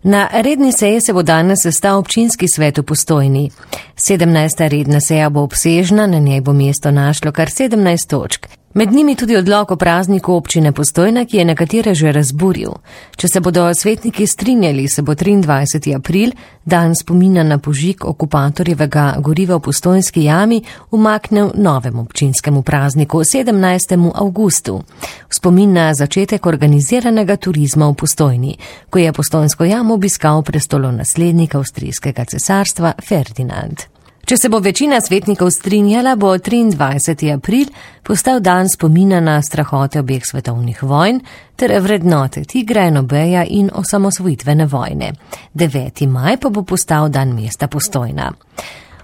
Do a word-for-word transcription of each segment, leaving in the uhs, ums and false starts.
Na redni seji se bo danes sestal občinski svet v Postojni. sedemnajsta redna seja bo obsežna, na njej bo mesto našlo kar sedemnajst točk. Med njimi tudi odlok o prazniku občine Postojna, ki je nekatere že razburil. Če se bodo svetniki strinjali, se bo triindvajseti april, dan spomina na požig okupatorjevega goriva v Postojnski jami, umaknil novemu občinskemu prazniku, sedemnajstemu avgustu. V spomin na začetek organiziranega turizma v Postojni, ko je Postojnsko jamo obiskal prestolonaslednik avstrijskega cesarstva Ferdinand. Če se bo večina svetnikov strinjala, bo triindvajseti april postal dan spomina na strahote obeh svetovnih vojn ter vrednote Tigra in Obeja in osamosvojitvene vojne. deveti maj pa bo postal dan mesta Postojna.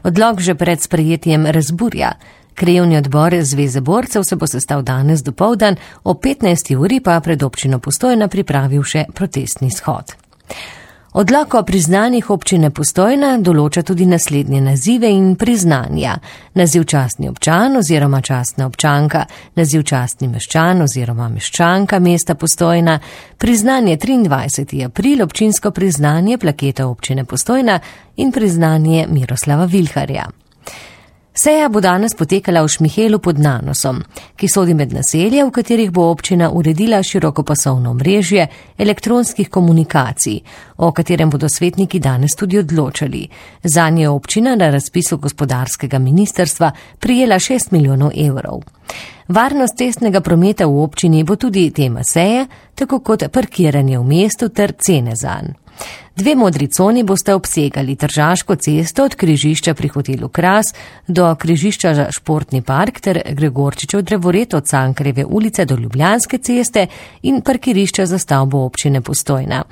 Odlok že pred sprejetjem razburja. Krajevni odbor Zveze borcev se bo sestal danes dopoldan, o petnajsti uri pa pred občino Postojna pripravil še protestni shod. Odlok o priznanjih občine Postojna določa tudi naslednje nazive in priznanja. Naziv častni občan oziroma častna občanka, naziv častni meščan oziroma meščanka mesta Postojna, priznanje triindvajseti april, občinsko priznanje plaketa občine Postojna in priznanje Miroslava Vilharja. Seja bo danes potekala v Šmihelu pod Nanosom, ki sodi med naselja, v katerih bo občina uredila širokopasovno omrežje elektronskih komunikacij, o katerem bodo svetniki danes tudi odločali. Zanje je občina na razpisu gospodarskega ministrstva prijela šest milijonov evrov. Varnost cestnega prometa v občini bo tudi tema seje, tako kot parkiranje v mestu ter cene zanj. Dve modri coni boste obsegali Tržaško cesto od križišča pri hotelu Kras do križišča za Športni park ter Gregorčičev drevored od Cankarjeve ulice do Ljubljanske ceste in parkirišča za stavbo občine Postojna.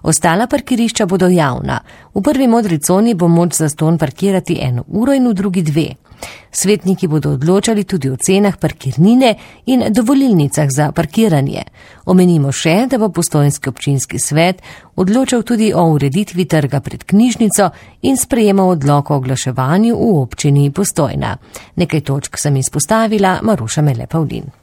Ostala parkirišča bodo javna. V prvi modri coni bo moč zastonj parkirati eno uro in v drugi dve. Svetniki bodo odločali tudi o cenah parkirnine in dovolilnicah za parkiranje. Omenimo še, da bo Postojnski občinski svet odločal tudi o ureditvi trga pred knjižnico in sprejemal odlok o oglaševanju v občini Postojna. Nekaj točk sem izpostavila, Maruša Mele Pavlin.